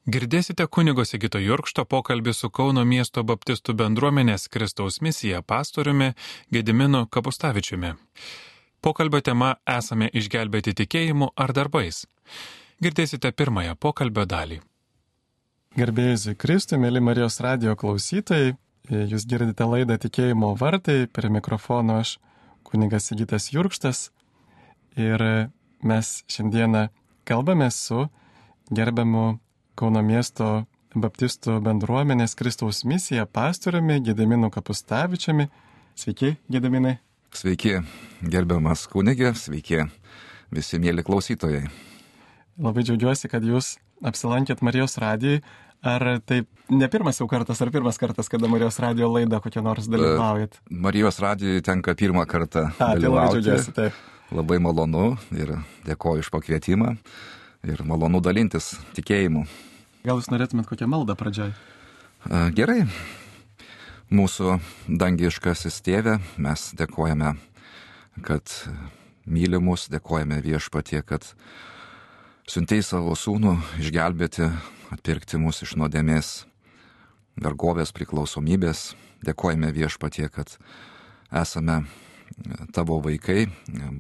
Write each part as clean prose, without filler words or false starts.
Girdėsite kunigo Sigito Jurkšto pokalbį su Kauno miesto baptistų bendruomenės Kristaus misija pastoriumi Gediminu Kapustavičiumi. Pokalbio tema esame išgelbėti tikėjimu ar darbais. Girdėsite pirmąją pokalbio dalį. Garbėjus Kristui, mėly Marijos radijo klausytojai, jūs girdite laidą Tikėjimo vartai, prie mikrofono aš kunigas Sigitas Jurkštas ir mes šiandieną kalbame su gerbiamu Kauno miesto baptistų bendruomenės Kristaus misija pastoriumi Gediminu Kapustavičiumi. Sveiki, Gediminai. Sveiki, gerbiamas kunigė, sveiki visi mėly klausytojai. Labai džiaugiuosi, kad jūs apsilankėt Marijos radijai. Ar tai ne pirmas jau kartas, ar pirmas kartas, kada Marijos radijo laidą kokią nors dalyvaujat? Marijos radijai tenka pirmą kartą dalyvauti. Tai labai džiaugiuosi, taip. Labai malonu ir dėkoju iš pakvietimą ir malonu dalintis tikėjimu. Gal jūs norėtumėt kokią maldą pradžiai? Gerai. Mūsų dangiškasis Tėve, mes dėkojame, kad myli mus, dėkojame Viešpatie, kad siuntei savo sūnų išgelbėti, atpirkti mus iš nuodėmės, vergovės, priklausomybės. Dėkojame Viešpatie, kad esame tavo vaikai,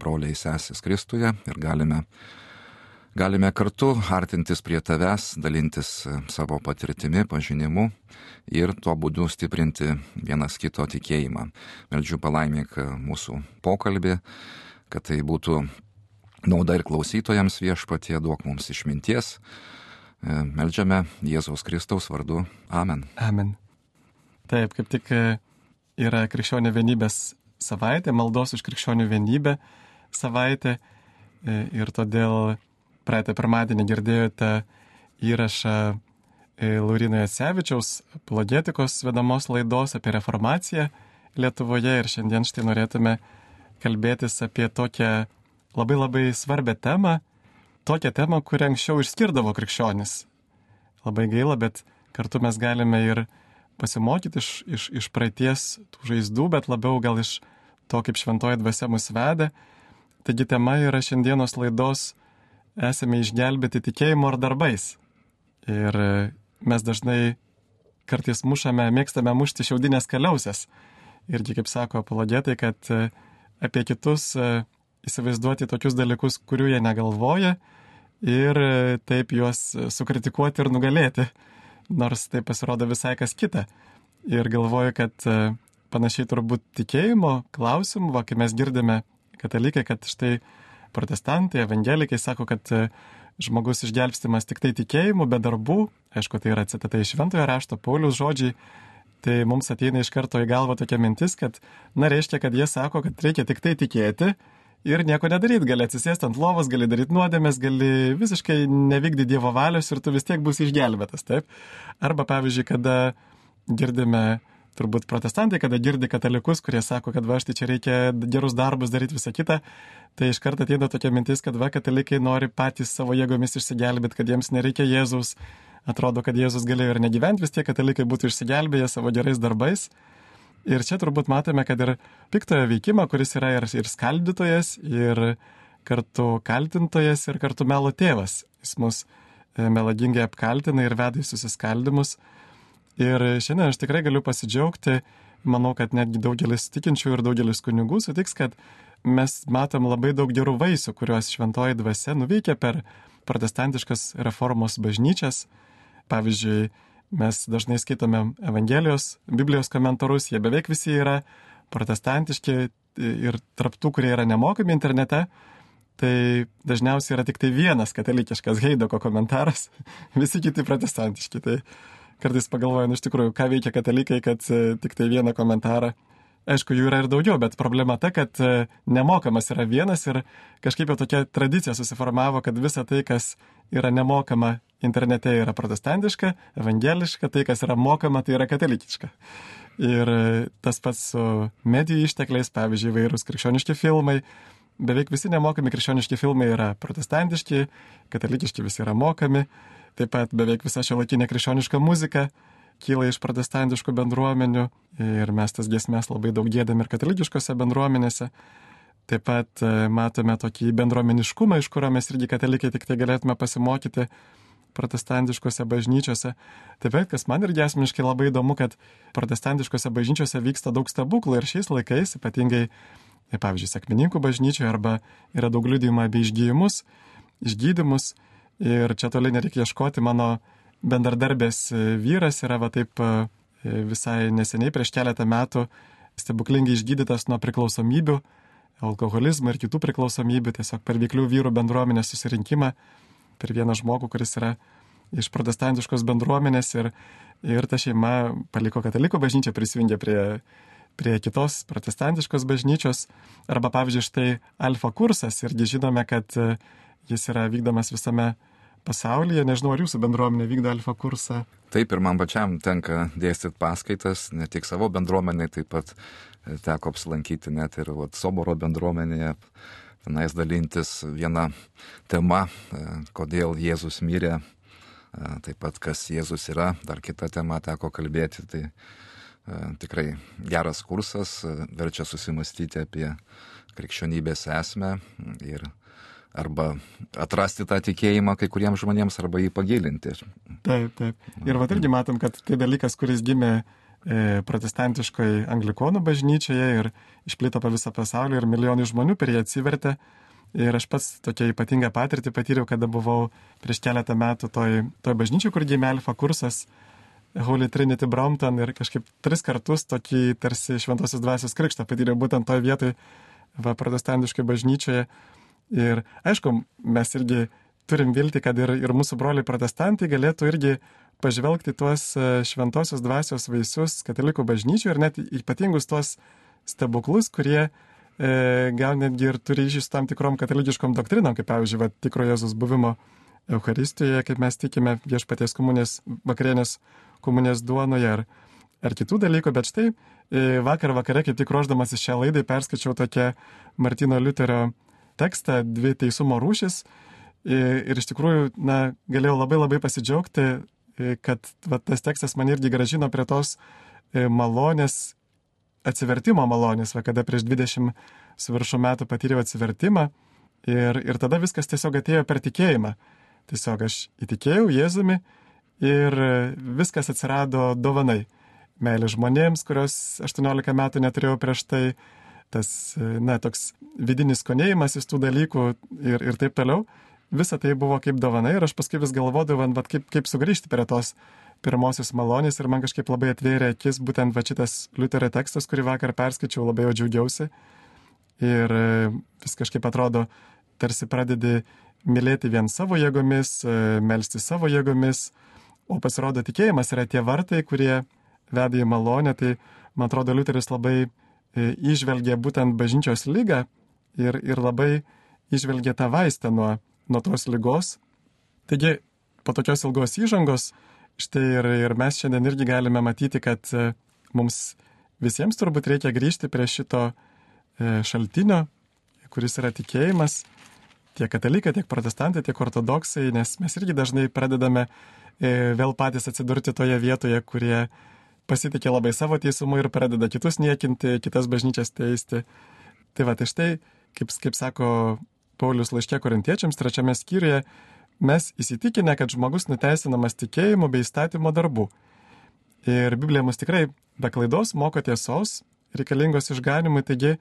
broliai sesės Kristuje ir galime kartu artintis prie tavęs, dalintis savo patirtimi, pažinimu ir tuo būdu stiprinti vienas kito tikėjimą. Meldžiu palaimink mūsų pokalbį, kad tai būtų nauda ir klausytojams. Viešpatie, duok mums išminties. Meldžiame Jėzaus Kristaus vardu. Amen. Amen. Taip, kaip tik yra krikščionių vienybės savaitė, maldos už krikščionių vienybę savaitė ir todėl praeitą pirmadienį girdėjote įrašą Lauryno Jacevičiaus apologetikos vedamos laidos apie reformaciją Lietuvoje ir šiandien štai norėtume kalbėtis apie tokią labai svarbę temą, kurią anksčiau išskirdavo krikščionis. Labai gaila, bet kartu mes galime ir pasimokyti iš praeities tų žaizdų, bet labiau gal iš to, kaip šventoji dvasia mus veda. Taigi tema yra šiandienos laidos esame išgelbėti tikėjimu ar darbais. Ir mes dažnai kartais mėgstame mušti šiaudinės kaliausės. Irgi, kaip sako apologetai, kad apie kitus įsivaizduoti tokius dalykus, kurių jie negalvoja ir taip juos sukritikuoti ir nugalėti. Nors tai pasirodo visai kas kita. Ir galvoju, kad panašiai turbūt tikėjimo klausimų, kai mes girdime katalikai, kad štai protestantai, evangelikai sako, kad žmogus išgelbstimas tik tai tikėjimu, be darbų. Aišku, tai yra citata iš Šventojo rašto, Pauliaus žodžiai. Tai mums ateina iš karto į galvą tokia mintis, kad, reiškia, kad jie sako, kad reikia tik tai tikėti ir nieko nedaryti. Gali atsisėsti ant lovos, gali daryti nuodėmės, gali visiškai nevykdyti Dievo valios ir tu vis tiek būsi išgelbėtas, taip? Arba, pavyzdžiui, kada girdime turbūt protestantai, kada girdi katalikus, kurie sako, kad štai čia reikia gerus darbus daryti visą kitą, tai iš karto ateina tokia mintis, kad katalikai nori patys savo jėgomis išsigelbėti, kad jiems nereikia Jėzaus. Atrodo, kad Jėzus galėjo ir negyventi, vis tiek katalikai būtų išsigelbėję savo gerais darbais. Ir čia turbūt matome, kad ir piktojo veikimą, kuris yra ir skaldytojas, ir kartu kaltintojas, ir kartu melo tėvas. Jis mus melagingai apkaltina ir veda į susiskaldymus. Ir šiandien aš tikrai galiu pasidžiaugti, manau, kad netgi daugelis tikinčių ir daugelis kunigų sutiks, kad mes matom labai daug gerų vaisių, kuriuos šventoji dvasia nuveikia per protestantiškas reformos bažnyčias. Pavyzdžiui, mes dažnai skaitome Evangelijos, Biblijos komentarus, jie beveik visi yra protestantiški ir tarp tų, kurie yra nemokami internete, tai dažniausiai yra tik tai vienas katalikiškas Heidoko komentaras, visi kiti protestantiški. Tai kartais pagalvoju, iš tikrųjų, ką veikia katalikai, kad tik tai vieną komentarą. Aišku, jų yra ir daugiau, bet problema ta, kad nemokamas yra vienas ir kažkaip jau tokia tradicija susiformavo, kad visa tai, kas yra nemokama internete, yra protestantiška, evangeliška, tai, kas yra mokama, tai yra katalikiška. Ir tas pats su medijų ištekliais, pavyzdžiui, įvairūs krikščioniški filmai. Beveik visi nemokami krikščioniški filmai yra protestantiški, katalikiški visi yra mokami. Taip pat beveik visa šiuolaikinė krikščioniška muzika kyla iš protestantiškų bendruomenių ir mes tas giesmes labai daug giedame ir katalikiškose bendruomenėse. Taip pat matome tokį bendruomeniškumą, iš kurio mes irgi katalikai tik tai galėtume pasimokyti. protestantiškose bažnyčiose. Taip pat, kas man irgi asmeniškai labai įdomu, kad protestantiškose bažnyčiose vyksta daug stebuklų ir šiais laikais, ypatingai, pavyzdžiui, sekmininkų bažnyčioje arba yra daug liudijimų apie išgydymus. Ir čia toli nereikia ieškoti, mano bendradarbės vyras yra taip visai neseniai, prieš keletą metų, stebuklingai išgydytas nuo priklausomybių, alkoholizmo ir kitų priklausomybių, tiesiog per veiklių vyrų bendruomenės susirinkimą, per vieną žmogų, kuris yra iš protestantiškos bendruomenės ir ta šeima paliko katalikų bažnyčią, prisijungė prie kitos protestantiškos bažnyčios. Arba pavyzdžiui, štai Alfa kursas, irgi žinome, kad jis yra vykdomas visame pasaulyje. Nežinau, ar jūsų bendruomenė vykdo Alfa kursą? Taip, ir man pačiam tenka dėstyti paskaitas, ne tik savo bendruomenė, taip pat teko apsilankyti net ir Soboro bendruomenėje, tenais dalintis viena tema, kodėl Jėzus mirė, taip pat kas Jėzus yra, dar kita tema teko kalbėti, tai tikrai geras kursas, verčia susimastyti apie krikščionybės esmę ir arba atrasti tą tikėjimą kai kuriems žmonėms, arba jį pagilinti. Taip. Ir irgi matom, kad tai dalykas, kuris gimė protestantiškoje anglikonų bažnyčioje ir išplito po visą pasaulį ir milijonai žmonių per jį atsivertė. Ir aš pats tokią ypatingą patirtį patyriau, kada buvau prieš keletą metų toj bažnyčiai, kur gimė Alfa kursas, Holy Trinity Brompton, ir kažkaip 3 kartus tokį tarsi šventosios dvasios krikštą patyriau būtent toj vietoj protestantiškoje bažnyčioje. Ir aišku, mes irgi turim viltį, kad ir mūsų broliai protestantai galėtų irgi pažvelgti tuos šventosios dvasios vaisius katalikų bažnyčių ir net ypatingus tuos stebuklus, kurie gal netgi ir turi ryšį su tam tikrom katalikiškom doktrinom, kaip pavyzdžiui, tikro Jėzus buvimo Eucharistijoje, kaip mes tikime viešpaties komunės, vakarienės komunės duonoje ar kitų dalykų. Bet štai vakar vakare, kaip tik ruošdamas šią laidą, perskaičiau tokią Martyno Liuterio tekstą 2 teisumo rūšis ir iš tikrųjų, galėjau labai pasidžiaugti, kad tas tekstas man irgi grąžino prie tos malonės, atsivertimo malonės, kada prieš 20 su viršų metų patyriau atsivertimą ir tada viskas tiesiog atėjo per tikėjimą. Tiesiog aš įtikėjau Jėzumi ir viskas atsirado dovanai. Meilė žmonėms, kurios 18 metų neturėjau prieš tai, tas, toks vidinis skonėjimasis tų dalykų ir taip toliau. Visa tai buvo kaip dovana ir aš paskui vis galvodavau, kaip sugrįžti prie tos pirmosios malonės ir man kažkaip labai atvėrė akis būtent šitas Liuterio tekstas, kurį vakar perskaičiau, labai jau džiaugiausi. Ir vis kažkaip atrodo, tarsi pradedi mylėti vien savo jėgomis, melsti savo jėgomis, o pasirodo tikėjimas yra tie vartai, kurie veda į malonę. Tai man atrodo, Liuteris labai įžvelgė būtent bažnyčios ligą ir labai įžvelgė tą vaistą nuo tos ligos. Taigi, po tokios ilgos įžangos, štai ir mes šiandien irgi galime matyti, kad mums visiems turbūt reikia grįžti prie šito šaltinio, kuris yra tikėjimas, tiek katalikai, tiek protestantai, tiek ortodoksai, nes mes irgi dažnai pradedame vėl patys atsidurti toje vietoje, kurie pasitikė labai savo teisumu ir pradeda kitus niekinti, kitas bažnyčias teisti. Tai štai, kaip sako Paulius laiške Korintiečiams 3 skyriuje, mes įsitikinę, kad žmogus nuteisinamas tikėjimu bei įstatymo darbų. Ir Biblija mus tikrai be klaidos moko tiesos, reikalingos išganimui. Taigi,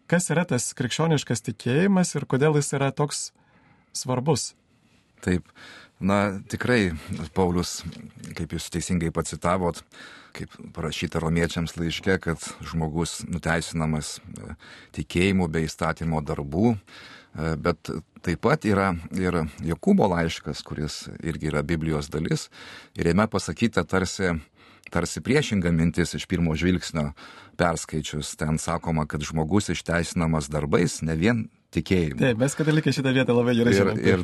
kas yra tas krikščioniškas tikėjimas ir kodėl jis yra toks svarbus? Taip, tikrai Paulius, kaip jūs teisingai pacitavot, kaip parašyta Romiečiams laiške, kad žmogus nuteisinamas tikėjimu bei įstatymo darbų, bet taip pat yra ir Jokūbo laiškas, kuris irgi yra Biblijos dalis, ir jame pasakyta tarsi priešinga mintis iš pirmo žvilgsnio perskaičius. Ten sakoma, kad žmogus išteisinamas darbais, ne vien tikėjimu. Taip, mes katalikai šitą vietą labai gerai žinome. Ir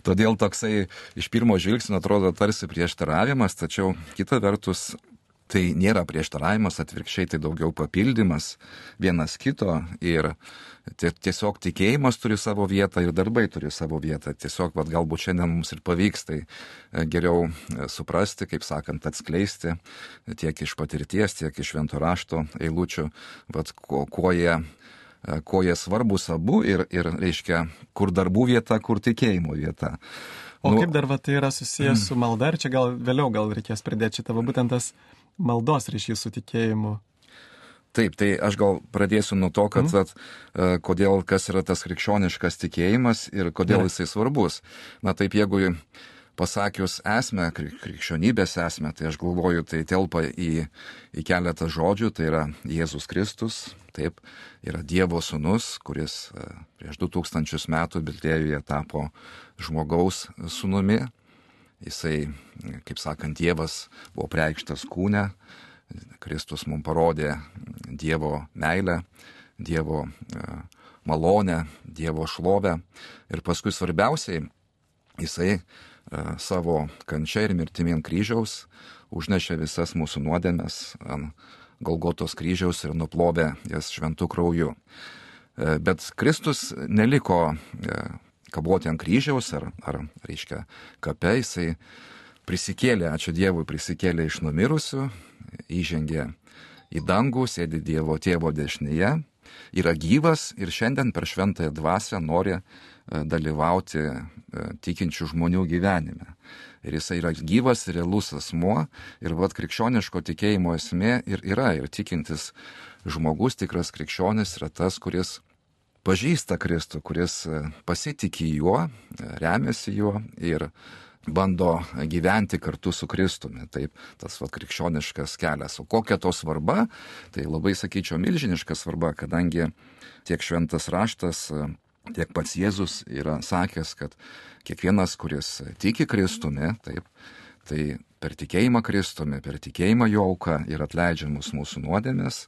todėl toksai iš pirmo žvilgsnio atrodo tarsi prieštaravimas, tačiau kita vertus tai nėra prieštaravimas, atvirkščiai tai daugiau papildymas vienas kito ir tiesiog tikėjimas turi savo vietą ir darbai turi savo vietą. Tiesiog galbūt šiandien mums ir pavyks tai geriau suprasti, kaip sakant, atskleisti tiek iš patirties, tiek iš švento rašto eilučių, kuo jie svarbus abu ir reiškia, kur darbų vieta, kur tikėjimo vieta. O kaip dar tai yra susijęs su malda, ir čia gal vėliau reikės pridėti šitą, būtent tas maldos ryšys su tikėjimu. Taip, tai aš gal pradėsiu nuo to, kad kodėl, kas yra tas krikščioniškas tikėjimas ir kodėl jisai svarbus. Na taip, jeigu pasakius esmę, krikščionybės esmę, tai aš galvoju, tai telpa į keletą žodžių, tai yra Jėzus Kristus, taip, yra Dievo sūnus, kuris prieš 2000 metų Betlėjuje tapo žmogaus sūnumi. Jisai, kaip sakant, Dievas buvo preikštas kūne, Kristus mums parodė Dievo meilę, Dievo malonę, Dievo šlovę ir paskui svarbiausiai jisai savo kančia ir mirtimi ant kryžiaus užnešė visas mūsų nuodėmes ant Golgotos kryžiaus ir nuplovė jas šventų krauju. Bet Kristus neliko kaboti ant kryžiaus ar reiškia kape, jisai prisikėlė, ačiū Dievui, prisikėlė iš numirusių, įžengė į dangų, sėdi Dievo tėvo dešinėje, yra gyvas ir šiandien per šventąją dvasią nori dalyvauti tikinčių žmonių gyvenime. Ir jisai yra gyvas, realus asmuo ir krikščioniško tikėjimo esmė yra ir tikintis žmogus, tikras krikščionis yra tas, kuris pažįsta Kristų, kuris pasitikė juo, remiasi juo ir bando gyventi kartu su Kristumi. Taip, tas krikščioniškas kelias. O kokia to svarba? Tai labai, sakyčiau, milžiniška svarba, kadangi tiek šventas raštas, tiek pats Jėzus yra sakęs, kad kiekvienas, kuris tiki Kristumi, taip, tai per tikėjimą Kristumi, per tikėjimą jo auką ir atleidžiamus mūsų nuodėmės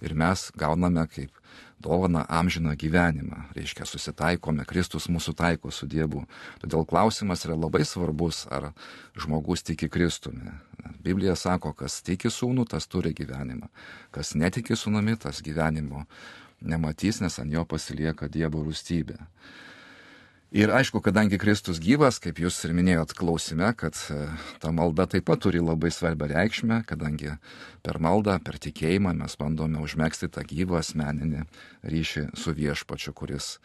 ir mes gauname kaip dovana amžiną gyvenimą. Reiškia, susitaikome, Kristus mūsų taiko su Dievu. Todėl klausimas yra labai svarbus, ar žmogus tiki Kristumi. Biblija sako, kas tiki sūnų, tas turi gyvenimą. Kas netiki sūnumi, tas gyvenimo nematys, nes ant jo pasilieka Dievo rūstybė. Ir aišku, kadangi Kristus gyvas, kaip jūs ir minėjot klausime, kad ta malda taip pat turi labai svarbią reikšmę, kadangi per maldą, per tikėjimą mes bandome užmegzti tą gyvą asmeninį ryšį su viešpačiu, kuris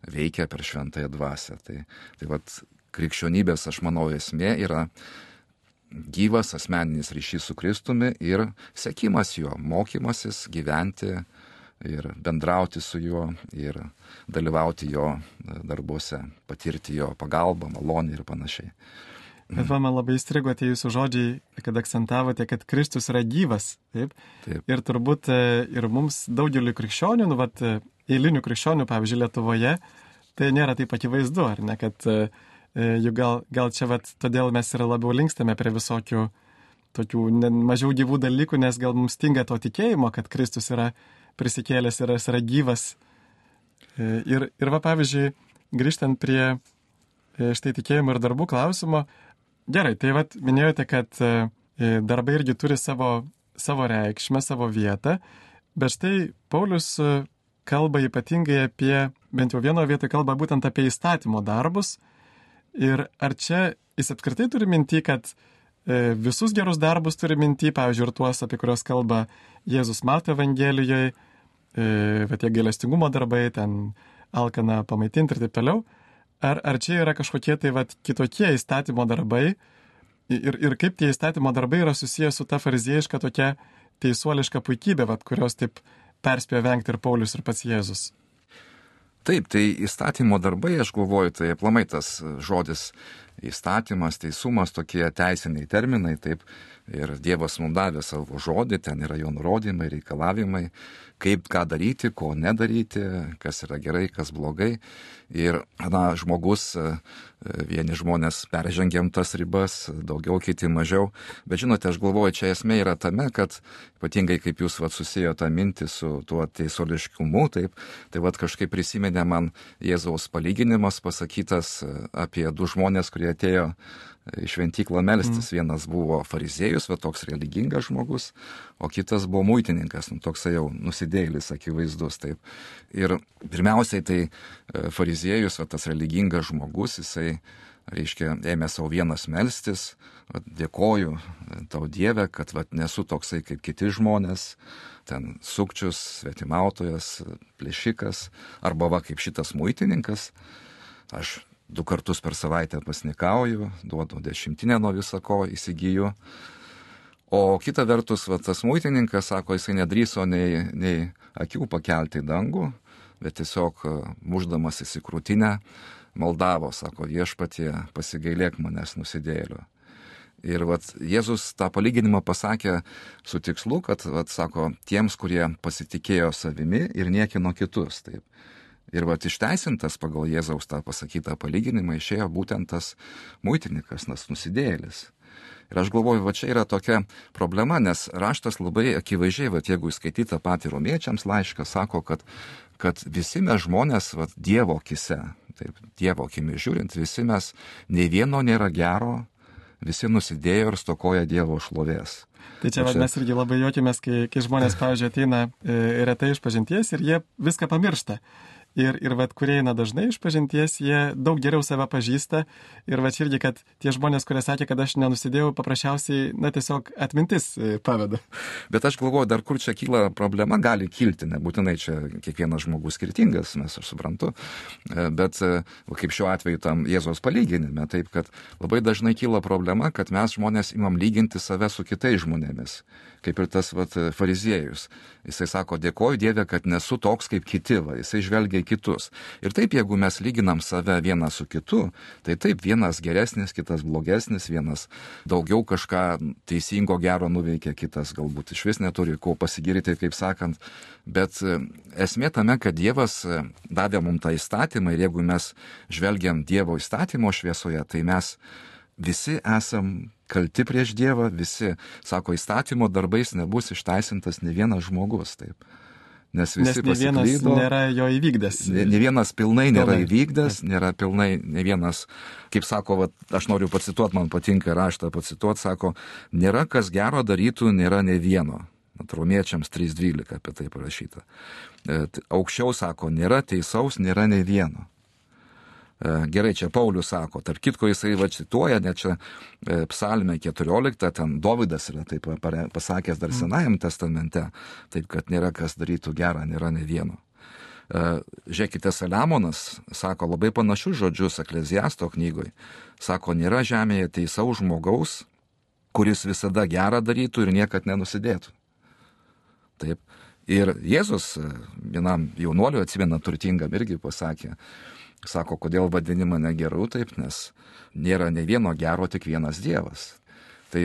veikia per šventąją dvasią. Tai krikščionybės, aš manau, esmė yra gyvas asmeninis ryšys su Kristumi ir sekimas jo, mokymasis gyventi ir bendrauti su juo ir dalyvauti jo darbuose, patirti jo pagalbą, malonę ir panašiai. Bet man labai įstrigo tie jūsų žodžiai, kad akcentavote, kad Kristus yra gyvas. Taip? Taip. Ir turbūt ir mums daugeliu krikščionių, eilinių krikščionių, pavyzdžiui, Lietuvoje, tai nėra taip akivaizdu, ar ne, kad gal čia todėl mes ir labiau linkstame prie visokių tokių mažiau gyvų dalykų, nes gal mums stinga to tikėjimo, kad Kristus yra prisikėlęs ir jis yra gyvas. Ir pavyzdžiui, grįžtant prie štai tikėjimo ir darbų klausimo, gerai, tai minėjote, kad darbai irgi turi savo reikšmę, savo vietą, bet štai Paulius kalba ypatingai apie, bent jau vienoje vietoje kalba būtent apie įstatymo darbus. Ir ar čia jis apskritai turi minti, kad visus gerus darbus turi minti, pavyzdžiui, ir tuos, apie kuriuos kalba Jėzus Mato Evangelijoje, tie gailestingumo darbai, ten alkaną pamaitinti ir taip toliau. Ar čia yra kažkokie kitokie įstatymo darbai ir kaip tie įstatymo darbai yra susijęs su ta fariziejiška tokia teisuoliška puikybė, kurios taip perspėjo vengti ir Paulius ir pats Jėzus? Taip, tai įstatymo darbai, aš galvoju, tai aplamai tas žodis įstatymas, teisumas, tokie teisiniai terminai, taip, ir Dievas mums davė savo žodį, ten yra jo nurodymai, reikalavimai, kaip ką daryti, ko nedaryti, kas yra gerai, kas blogai. Ir žmogus, vieni žmonės peržengiam tas ribas, daugiau, kiti mažiau. Bet žinote, aš galvoju, čia esmė yra tame, kad ypatingai kaip jūs susijo tą mintį su tuo teisuoliškumu, taip, tai kažkaip prisiminė man Jėzaus palyginimas pasakytas apie du žmonės, kurie atėjo į šventyklą melstis. Vienas buvo fariziejus, toks religingas žmogus, o kitas buvo muitininkas, toksai jau nusidėjėlis akivaizdus. Taip. Ir pirmiausiai tai fariziejus, tas religingas žmogus, jisai, reiškia, ėmė savo vienas melstis, dėkoju tau Dieve, kad nesu toksai kaip kiti žmonės, ten sukčius, svetimautojas, plėšikas, arba kaip šitas muitininkas. Aš 2 kartus per savaitę pasnikauju, duodu 10 nuo visako, įsigyju. O kita vertus, tas muitininkas, sako, jisai nedrįso nei akių pakelti į dangų, bet tiesiog muždamas į krūtinę maldavo, sako, viešpatie, pasigailėk manęs nusidėjėlio. Ir Jėzus tą palyginimą pasakė su tikslu, kad, sako, tiems, kurie pasitikėjo savimi ir niekino kitus. Taip. Ir išteisintas pagal Jėzaus tą pasakytą palyginimą išėjo būtent tas muitininkas, tas nusidėjėlis. Ir aš galvoju, čia yra tokia problema, nes raštas labai akivaizdžiai, jeigu įskaityta patį romiečiams laišką, sako, kad visi mes žmonės Dievo akise, taip, Dievo akimis žiūrint, visi mes, nei vieno nėra gero, visi nusidėjo ir stokoja Dievo šlovės. Tai čia mes irgi labai juokimės, kai žmonės, pavyzdžiui, ateina retai iš pažinties ir jie viską pamiršta. Ir kurie eina dažnai iš pažinties, jie daug geriau save pažįsta. Ir čia irgi, kad tie žmonės, kurie sakė, kad aš nenusidėjau, paprasčiausiai, tiesiog atmintis paveda. Bet aš galvoju, dar kur čia kyla problema, gali kilti, nebūtinai čia kiekvienas žmogus skirtingas, nes aš suprantu. Bet kaip šiuo atveju tam Jėzaus palyginime, taip, kad labai dažnai kyla problema, kad mes žmonės imam lyginti save su kitais žmonėmis. Kaip ir tas fariziejus. Jisai sako, dėkoju Dieve, kad nesu toks kaip kiti, jisai žvelgia į kitus. Ir taip, jeigu mes lyginam save vieną su kitu, tai taip, vienas geresnis, kitas blogesnis, vienas daugiau kažką teisingo gero nuveikia, kitas galbūt iš vis neturi ko pasigirti, kaip sakant. Bet esmė tame, kad Dievas davė mums tą įstatymą ir jeigu mes žvelgiam Dievo įstatymo šviesoje, tai mes visi esam kalti prieš Dievą, visi, sako, įstatymo darbais nebus išteisintas ne vienas žmogus, taip. Nes visi pasiklydo. Nes ne vienas nėra jo įvykdęs. Ne vienas pilnai nėra įvykdęs, nėra pilnai, ne vienas, kaip sako, aš noriu pacituoti, man patinka raštą pacituoti, sako, nėra kas gero darytų, nėra ne vieno. Romiečiams 3:12 apie tai parašyta. Aukščiau sako, nėra teisaus, nėra ne vieno. Gerai, čia Paulius sako, tarp kitko jisai cituoja, net čia Psalmė 14, ten Dovydas yra taip pasakęs dar Senajam testamente, taip kad nėra kas darytų gerą, nėra ne vieno. Žiūrėkite, Saliamonas sako labai panašius žodžius Ekleziasto knygoje, sako, nėra žemėje teisaus žmogaus, kuris visada gerą darytų ir niekad nenusidėtų. Taip. Ir Jėzus vienam jaunuoliui, atsimena, turtingam irgi pasakė, sako, kodėl vadini mane geru, taip, nes nėra ne vieno gero, tik vienas Dievas. Tai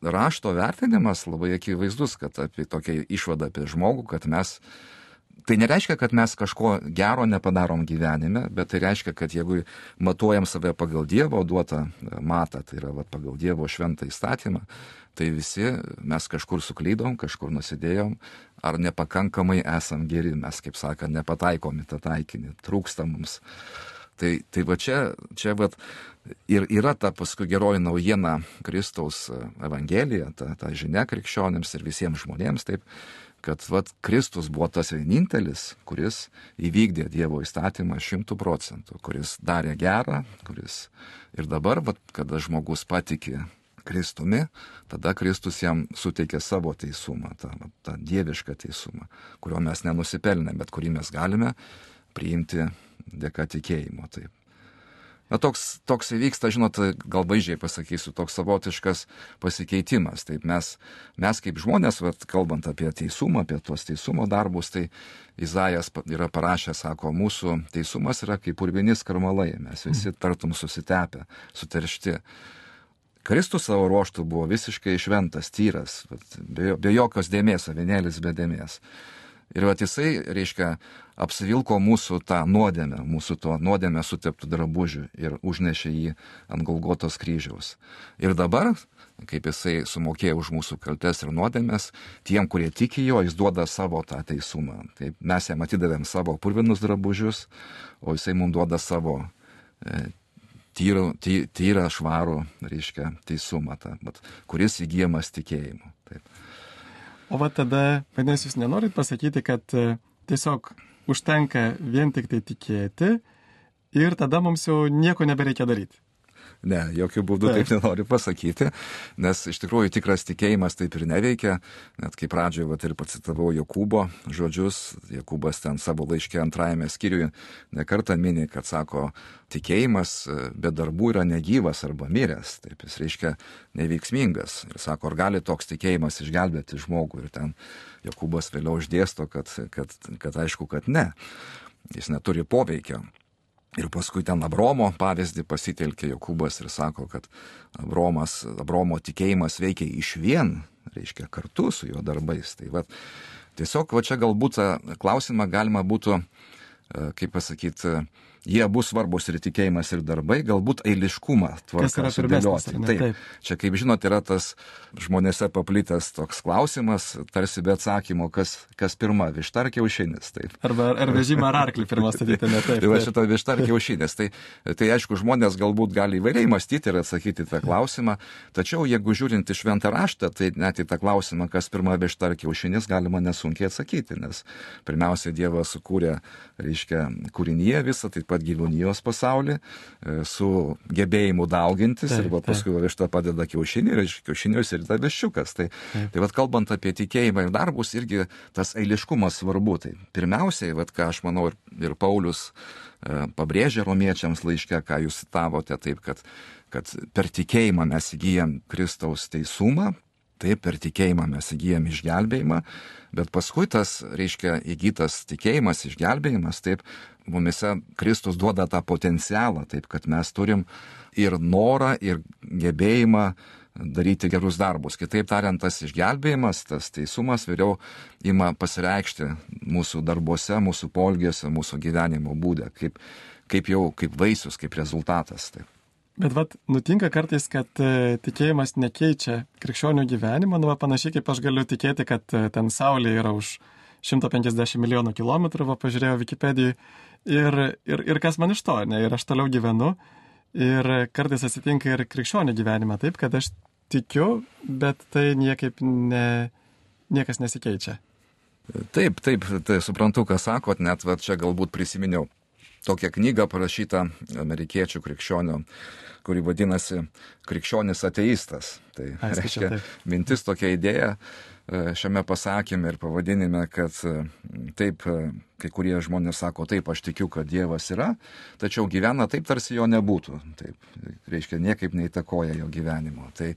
rašto vertinimas labai akivaizdus, kad apie tokią išvadą apie žmogų, kad mes, tai nereiškia, kad mes kažko gero nepadarom gyvenime, bet tai reiškia, kad jeigu matuojam save pagal Dievo duotą matą, tai yra pagal Dievo šventą įstatymą, tai visi mes kažkur suklydom, kažkur nusidėjom, ar nepakankamai esam geri, mes, kaip sakant, nepataikom į tą taikinį, trūksta mums. Tai čia ir yra ta paskui geroji naujiena Kristaus evangelija, ta žinia krikščionėms ir visiems žmonėms, taip, kad Kristus buvo tas vienintelis, kuris įvykdė Dievo įstatymą 100%, kuris darė gerą, kuris ir dabar, kada žmogus patiki Kristumi, tada Kristus jam suteikė savo teisumą, tą dievišką teisumą, kurio mes nenusipelnėme, bet kurį mes galime priimti dėka tikėjimo. Taip. Toks įvyksta, žinot, gal vaizdžiai pasakysiu, toks savotiškas pasikeitimas. Taip, mes kaip žmonės, kalbant apie teisumą, apie tuos teisumo darbus, tai Izaijas yra parašęs, sako, mūsų teisumas yra kaip purvini skarmalai, mes visi tartum susitepę, suteršti. Kristus savo ruoštų buvo visiškai šventas, tyras, be jokios dėmės, avinėlis be dėmės. Ir jisai, reiškia, apsivilko mūsų tą nuodėmę, mūsų to nuodėmę suteptų drabužių ir užnešė jį ant Golgotos kryžiaus. Ir dabar, kaip jisai sumokėjo už mūsų kaltes ir nuodėmės, tiem, kurie tiki jo, jis duoda savo tą teisumą. Taip, mes jam atidavėm savo purvinus drabužius, o jisai mums duoda savo tyrą švarų, reiškia, teisumą, kuris įgyjamas tikėjimu. Taip. O tada, vadinasi, jūs nenorit pasakyti, kad tiesiog užtenka vien tik tai tikėti ir tada mums jau nieko nebereikia daryti. Ne, jokių būdų taip nenoriu pasakyti, nes iš tikrųjų tikras tikėjimas taip ir neveikia, net kaip pradžioje ir pacitavau Jokūbo žodžius, Jokūbas ten savo laiške 2 skyriuje nekartą mini, kad sako, tikėjimas be darbų yra negyvas arba miręs, taip jis reiškia neveiksmingas. Ir sako, ar gali toks tikėjimas išgelbėti žmogų, ir ten Jokūbas vėliau išdėsto, kad aišku, kad ne, jis neturi poveikio. Ir paskui ten Abromo pavyzdį pasitelkė Jokūbas ir sako, kad Abromo tikėjimas veikia išvien, reiškia kartu su jo darbais. Tai tiesiog čia galbūt klausimą galima būtų, kaip pasakyti, jie bus svarbus ir tikėjimas, ir darbai, galbūt eiliškumą tvarką sudėlioti. Taip. Čia, kaip žinot, yra tas žmonėse paplitęs toks klausimas, tarsi be atsakymo, kas pirma, višta ar kiaušinis. Taip. Ar vežimą ar arklį pirmą statyti, ne taip. Tai šito višta ar kiaušinis. Tai aišku, žmonės galbūt gali įvairiai mąstyti ir atsakyti tą klausimą, tačiau jeigu žiūrint į šventą raštą, tai net į tą klausimą, kas pirma, višta ar kiaušinis, galima nesunkiai atsakyti, nes pirmiausia, Dievas sukūrė, reiškia, kūrinyje visą, taip pat gyvūnijos pasaulį, su gebėjimu daugintis, ir paskui višta padeda kiaušinį, ir iš kiaušinius ir ta viščiukas. Tai kalbant apie tikėjimą ir darbus, irgi tas eiliškumas svarbu. Tai pirmiausiai, ką aš manau ir Paulius pabrėžė romiečiams laiške, ką jūs citavote, taip, kad per tikėjimą mes įgyjam Kristaus teisumą, taip, per tikėjimą mes įgyjam išgelbėjimą, bet paskui tas, reiškia, įgytas tikėjimas, išgelbėjimas, taip, mumise Kristus duoda tą potencialą, taip, kad mes turim ir norą, ir gebėjimą daryti gerus darbus. Kitaip tariant, tas išgelbėjimas, tas teisumas vėliau ima pasireikšti mūsų darbuose, mūsų poelgiuose, mūsų gyvenimo būde, kaip vaisius, kaip rezultatas. Taip. Bet nutinka kartais, kad tikėjimas nekeičia krikščionių gyvenimo, panašiai kaip aš galiu tikėti, kad ten Saulė yra už 150 milijonų kilometrų, pažiūrėjau Wikipedijai, ir kas man iš to, ne, ir aš toliau gyvenu, ir kartais atsitinka ir krikščionių gyvenime taip, kad aš tikiu, bet tai niekas nesikeičia. Taip, tai suprantu, ką sakot, net čia galbūt prisiminiau tokią knygą parašytą amerikiečių krikščionių, kuri vadinasi Krikščionis ateistas. Tai reiškia mintis, tokia idėja šiame pasakyme ir pavadinime, kad taip, kai kurie žmonės sako, taip, aš tikiu, kad Dievas yra, tačiau gyvena taip, tarsi jo nebūtų. Taip, reiškia, niekaip neįtakoja jo gyvenimo. Tai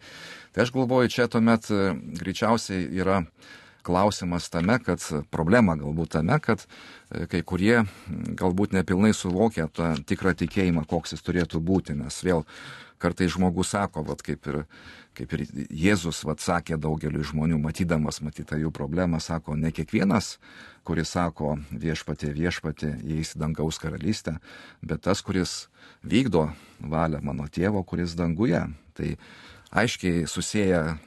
aš galvoju, čia tuomet greičiausiai yra klausimas tame, kad problema galbūt tame, kad kai kurie galbūt nepilnai suvokia tą tikrą tikėjimą, koks jis turėtų būti, nes vėl kartais žmogus sako, kaip ir Jėzus sakė daugeliu žmonių, matydamas matytą jų problemą, sako, ne kiekvienas, kuris sako viešpatie, įeis į dangaus karalystę, bet tas, kuris vykdo valią mano tėvo, kuris danguje. Tai aiškiai susieja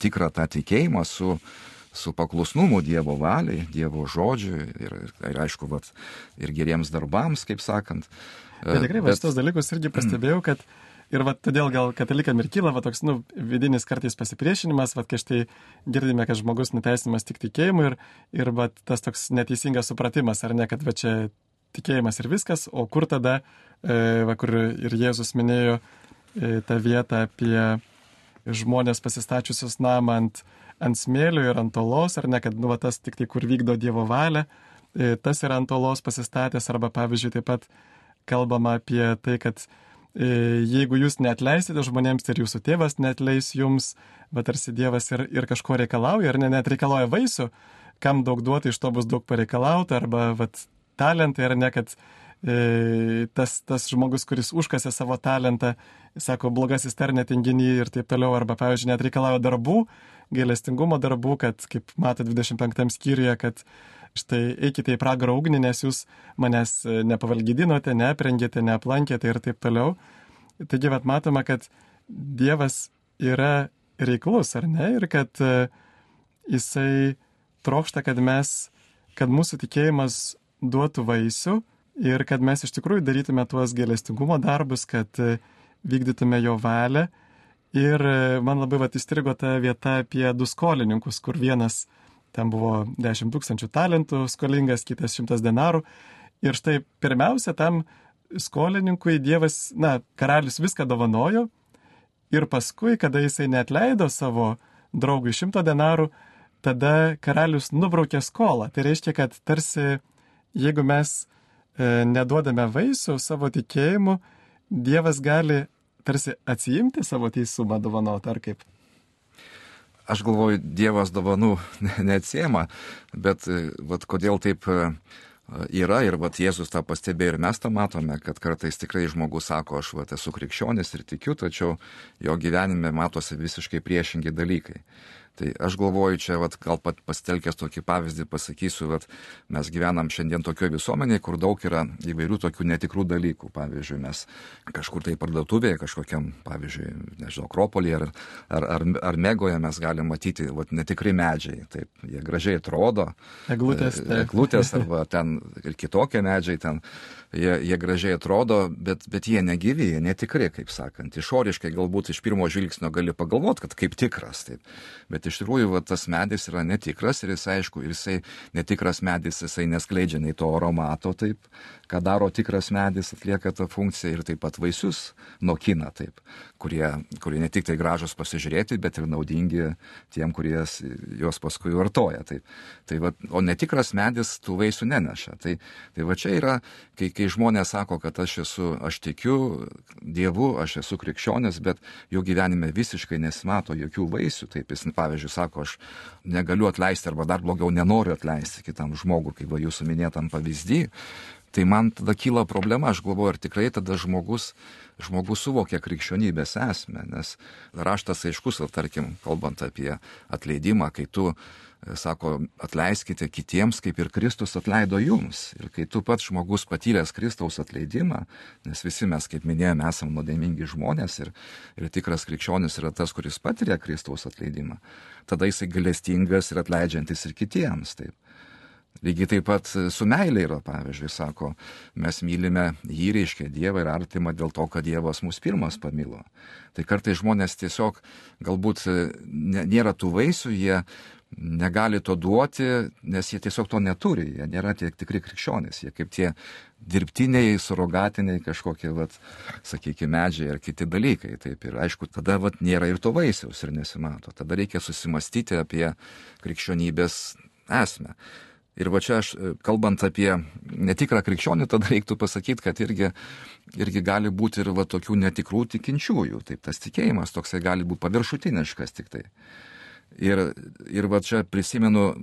tikrą tą tikėjimą su paklusnumu Dievo valiai, Dievo žodžiui ir aišku, ir geriems darbams, kaip sakant. Bet tikrai, šitos dalykus irgi pastebėjau, kad ir todėl gal katalikam ir kyla toks, vidinis kartais pasipriešinimas, kai štai girdime, kad žmogus nuteisinamas tik tikėjimu ir tas toks neteisingas supratimas, ar ne, kad čia tikėjimas ir viskas, o kur tada, kur ir Jėzus minėjo tą vietą apie žmonės pasistačiusius namą ant smėlio ir ant olos, ar ne, kad tas tik tai, kur vykdo Dievo valią, tas yra ant olos pasistatęs, arba pavyzdžiui taip pat kalbama apie tai, kad jeigu jūs neatleisite žmonėms, ir jūsų tėvas neatleis jums, bet tarsi Dievas ir kažko reikalauja, ar net reikalauja vaisių, kam daug duoti, iš to bus daug pareikalauta, arba talentai, ar ne, kad tas žmogus, kuris užkasė savo talentą, sako, blogasis tarne tinginį ir taip toliau, arba, pavyzdžiui, net reikalauja darbų, gailestingumo darbų, kad, kaip mato 25 skyriuje, kad štai eikite į pragaro ugnį, nes jūs manęs nepavalgydinote, neaprengėte, neaplankėte ir taip toliau. Taigi, matoma, kad Dievas yra reiklus, ar ne, ir kad jisai trokšta, kad mūsų tikėjimas duotų vaisių, ir kad mes iš tikrųjų darytume tuos gailestingumo darbus, kad vykdytume jo valią. Ir man labai įstrigo ta vieta apie 2 skolininkus, kur vienas ten buvo 10 000 talentų skolingas, kitas 100 denarų. Ir štai pirmiausia tam skolininkui Dievas, karalius viską dovanojo ir paskui, kada jisai neatleido savo draugui 100 denarų, tada karalius nubraukė skolą. Tai reiškia, kad tarsi jeigu mes neduodame vaisių savo tikėjimu, Dievas gali tarsi atsiimti savo teisumą dovanoti, ar kaip? Aš galvoju, Dievas dovanų neatsiema, bet vat, kodėl taip yra ir vat, Jėzus tą pastebėjo ir mes tą matome, kad kartais tikrai žmogus sako, aš vat, esu krikščionis ir tikiu, tačiau jo gyvenime matosi visiškai priešingi dalykai. Tai aš galvoju, čia vat, gal pat pasitelkęs tokį pavyzdį pasakysiu, vat, mes gyvenam šiandien tokioje visuomenėje, kur daug yra įvairių tokių netikrų dalykų. Pavyzdžiui, mes kažkur tai parduotuvėje, kažkokiam, pavyzdžiui, nežinau, Akropolyje ar Megoje mes galim matyti vat, netikri medžiai. Taip, jie gražiai atrodo. Eglutės arba ten ir kitokie medžiai ten. Jie gražiai atrodo, bet jie negyvi, jie netikri, kaip sakant. Išoriškai galbūt iš pirmo žvilgsnio gali pagalvoti, kad kaip tikras. Taip. Bet iš tikrųjų va, tas medis yra netikras ir jisai, aišku, netikras medis, jisai neskleidžia nei to aromato, taip, ką daro tikras medis, atlieka tą funkciją ir taip pat vaisius nokina, taip, kurie ne tik tai gražus pasižiūrėti, bet ir naudingi tiem, kurie juos paskui vartoja. Taip. Tai va, o netikras medis tų vaisių neneša. Tai va čia yra, kai žmonės sako, kad aš tikiu Dievu, aš esu krikščionis, bet jų gyvenime visiškai nesimato jokių vaisių. Taip, jis, pavyzdžiui, sako, aš negaliu atleisti arba dar blogiau nenoriu atleisti kitam žmogui, kaip va jūsų minėtam pavyzdį. Tai man tada kyla problema, aš galvoju, ar tikrai tada žmogus suvokia krikščionybės esmę, nes raštas aiškus, tarkim, kalbant apie atleidimą, kai tu, sako, atleiskite kitiems, kaip ir Kristus atleido jums. Ir kai tu pats žmogus patyręs Kristaus atleidimą, nes visi mes, kaip minėjome, esame nuodėmingi žmonės ir tikras krikščionis yra tas, kuris patiria Kristaus atleidimą, tada jisai gailestingas ir atleidžiantis ir kitiems. Taip. Lygiai taip pat su meilė yra, pavyzdžiui, sako, mes mylime jį, reiškia Dievą ir artimą dėl to, kad Dievas mus pirmas pamilo. Tai kartais žmonės tiesiog galbūt nėra tų vaisių, jie negali to duoti, nes jie tiesiog to neturi, jie nėra tie tikri krikščionys, jie kaip tie dirbtiniai, surogatiniai kažkokie, vat, sakykime, medžiai ar kiti dalykai. Taip, ir aišku, tada vat, nėra ir to vaisiaus ir nesimato. Tada reikia susimastyti apie krikščionybės esmę. Ir va čia aš, kalbant apie netikrą krikščionį, tada reiktų pasakyti, kad irgi gali būti ir va tokių netikrų tikinčiųjų. Taip, tas tikėjimas toksai gali būti paviršutiniškas tik tai. Ir va čia prisimenu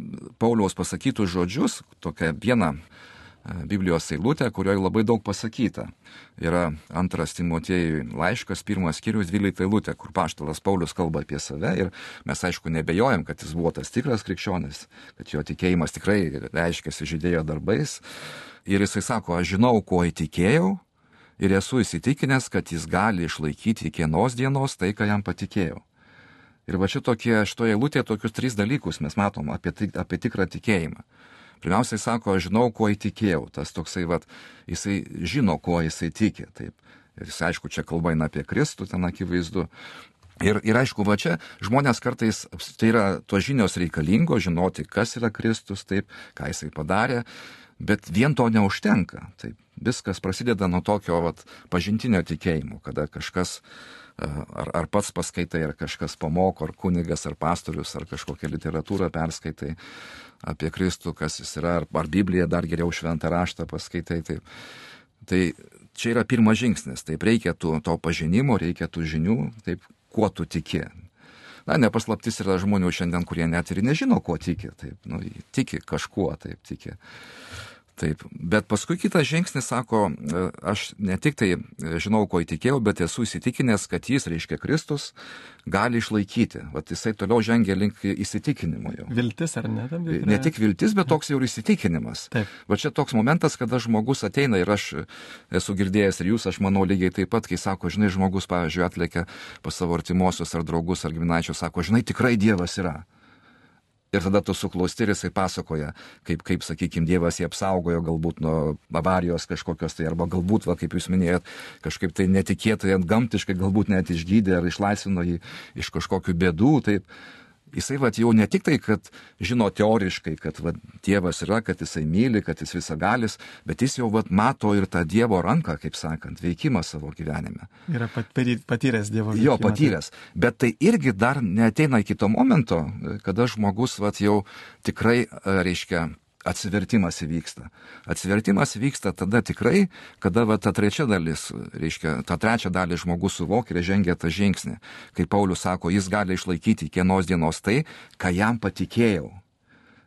Pauliaus pasakytus žodžius, tokią vieną Biblijos eilutę, kurioje labai daug pasakyta. Yra 2 Timotiejui laiškas, 1 skyrius 12 eilutė, kur apaštalas Paulius kalba apie save ir mes aišku nebejojam, kad jis buvo tas tikras krikščionis, kad jo tikėjimas tikrai reiškiasi žydėjo darbais. Ir jisai sako, aš žinau, kuo įtikėjau ir esu įsitikinęs, kad jis gali išlaikyti iki vienos dienos tai, ką jam patikėjau. Ir va šitoje eilutėje tokius 3 dalykus mes matom apie tikrą tikėjimą. Pirmiausiai sako, aš žinau, kuo įtikėjau. Tas toksai, jisai žino, kuo jisai tiki. Taip. Ir jis, aišku, čia kalba eina apie Kristų, ten akivaizdu. Ir aišku, va čia žmonės kartais, tai yra tos žinios reikalingos, žinoti, kas yra Kristus, taip, ką jisai padarė, bet vien to neužtenka. Taip. Viskas prasideda nuo tokio pažintinio tikėjimo, kada kažkas ar pats paskaitai, ar kažkas pamoko, ar kunigas, ar pastorius, ar kažkokią literatūrą perskaitai apie Kristų, kas jis yra, ar Bibliją dar geriau šventą raštą paskaitai. Taip. Tai čia yra pirmas žingsnis, taip reikia to pažinimo, reikia tų žinių, taip, kuo tu tiki. Nepaslaptis yra žmonių šiandien, kurie net ir nežino, kuo tiki, taip, tiki kažkuo, taip, tiki. Taip, bet paskui kitas žingsnis sako, aš ne tik tai žinau, ko įtikėjau, bet esu įsitikinęs, kad jis, reiškia Kristus, gali išlaikyti. Vat jisai toliau žengia link įsitikinimo jau. Viltis ar ne? Ne tik viltis, bet toks jau ir įsitikinimas. Taip. Va čia toks momentas, kada žmogus ateina ir aš esu girdėjęs ir jūs, aš manau lygiai taip pat, kai sako, žinai, žmogus, pavyzdžiui, atlėkia pas savo artimuosius ar draugus ar giminaičius, sako, žinai, tikrai Dievas yra. Ir tada tu suklausti ir jisai pasakoja, kaip sakykime, Dievas jį apsaugojo galbūt nuo avarijos kažkokios tai, arba galbūt, kaip jūs minėjot, kažkaip tai netikėtai, gamtiškai galbūt net išgydė ar išlaisvino jį iš kažkokių bėdų. Taip. Jisai vat jau ne tik tai, kad žino teoriškai, kad vat Dievas yra, kad jisai myli, kad jis visagalis, bet jis jau vat mato ir tą Dievo ranką, kaip sakant, veikimą savo gyvenime. Yra patyręs Dievo veikimą. Jo, patyręs. Bet tai irgi dar neateina iki to momento, kada žmogus vat jau tikrai, reiškia, atsivertimas įvyksta. Atsivertimas vyksta tada tikrai, kada va, ta trečia dalis, reiškia, tą trečią dalį žmogus suvokia ir žengia tą žingsnį. Kaip Paulius sako, jis gali išlaikyti kiekvienos dienos tai, ką jam patikėjau.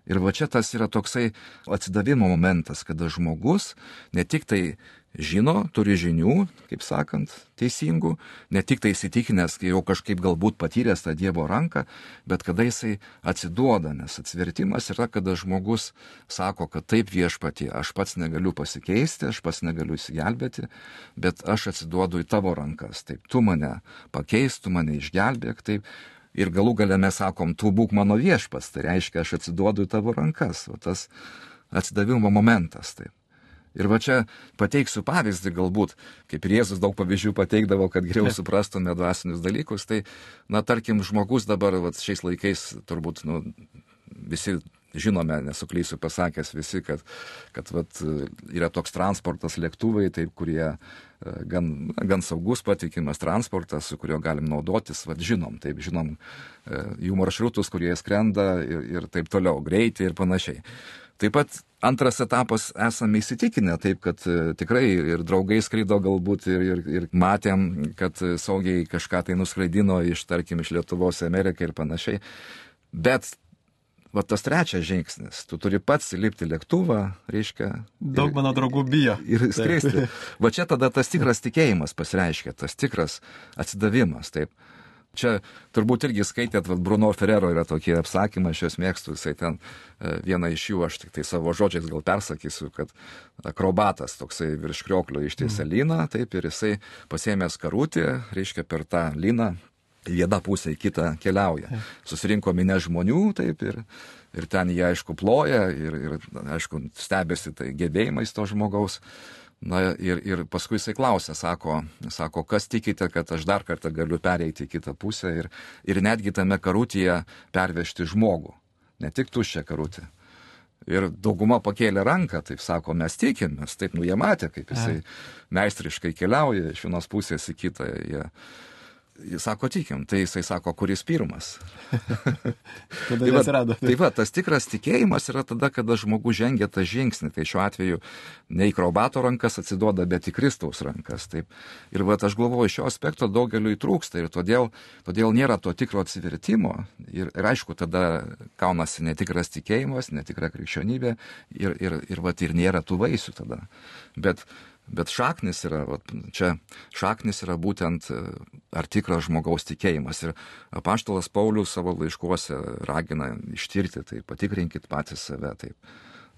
Ir va čia tas yra toksai atsidavimo momentas, kada žmogus ne tik tai žino, turi žinių, kaip sakant, teisingų, ne tik tai įsitikinęs, kai jau kažkaip galbūt patyręs tą Dievo ranką, bet kada jisai atsiduoda, nes atsivertimas yra, kada žmogus sako, kad taip Viešpatie, aš pats negaliu pasikeisti, aš pats negaliu įsigelbėti, bet aš atsiduodu į tavo rankas, taip tu mane pakeis, tu mane išgelbėk, taip. Ir galų gale mes sakom, tu būk mano viešpas, tai reiškia, aš atsiduodu į tavo rankas, o tas atsidavimo momentas, taip. Ir va čia pateiksiu pavyzdį galbūt, kaip ir Jėzus daug pavyzdžių pateikdavo, kad geriau suprastume dvasinius dalykus, tai, na, tarkim, žmogus dabar va, šiais laikais turbūt, nu, visi žinome, nesuklysiu pasakęs visi, kad vat, yra toks transportas lėktuvai, taip, kurie gan saugus, patikimas transportas, su kuriuo galim naudotis, vat, žinom jų maršrutus, kurie skrenda ir taip toliau, greitį ir panašiai. Taip pat antras etapas esame įsitikinę, taip, kad tikrai ir draugai skrido galbūt ir matėm, kad saugiai kažką tai nuskraidino tarkim, iš Lietuvos į Ameriką ir panašiai. Bet va tas trečias žingsnis, tu turi pats įlipti lėktuvą, reiškia. Daug mano draugų bijo. Ir skristi. Va čia tada tas tikras tikėjimas pasireiškia, tas tikras atsidavimas, taip. Čia turbūt irgi skaitėt, Bruno Ferrero yra tokie apsakymai, aš juos mėgstu, jisai ten vieną iš jų, aš tik tai savo žodžiais gal persakysiu, kad akrobatas toksai virš krioklio ištiesia lyną, taip, ir jisai pasiėmęs karutį, reiškia per tą lyną, viena pusė į kitą keliauja. Susirinko minė žmonių, taip, ir ten jie, aišku, ploja ir aišku, stebėsi tai gebėjimais to žmogaus. Na ir paskui jisai klausė, sako, kas tikite, kad aš dar kartą galiu pereiti į kitą pusę ir netgi tame karutyje pervežti žmogų, ne tik tuščią karutį. Ir dauguma pakėlė ranką, taip sako, mes tikimės, taip, nu jie matė, kaip jisai meistriškai keliauja iš vienos pusės į kitą. Jis sako, tikim, tai jisai sako, kuris pirmas. Tada jis rado. Taip va, tas tikras tikėjimas yra tada, kada žmogus žengia tą žingsnį. Tai šiuo atveju ne į akrobato rankas atsiduoda, bet į Kristaus rankas. Taip. Ir va, aš galvoju, šio aspekto daugeliu įtrūksta ir todėl nėra to tikro atsivertimo. Ir aišku, tada kaunasi netikras tikėjimas, netikra krikščionybė ir nėra tų vaisių tada. Bet šaknis yra, šaknis yra būtent ar tikras žmogaus tikėjimas. Ir apaštalas Paulius savo laiškuose ragina ištirti, tai patikrinkit patys save, taip,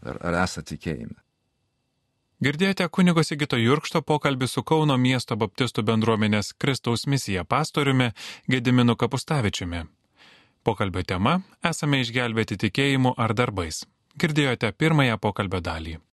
ar esate tikėjime. Girdėjote kunigo Sigito Jurkšto pokalbį su Kauno miesto baptistų bendruomenės Kristaus misija pastoriumi Gediminu Kapustavičiumi. Pokalbio tema – esame išgelbėti tikėjimu ar darbais. Girdėjote pirmąją pokalbio dalį.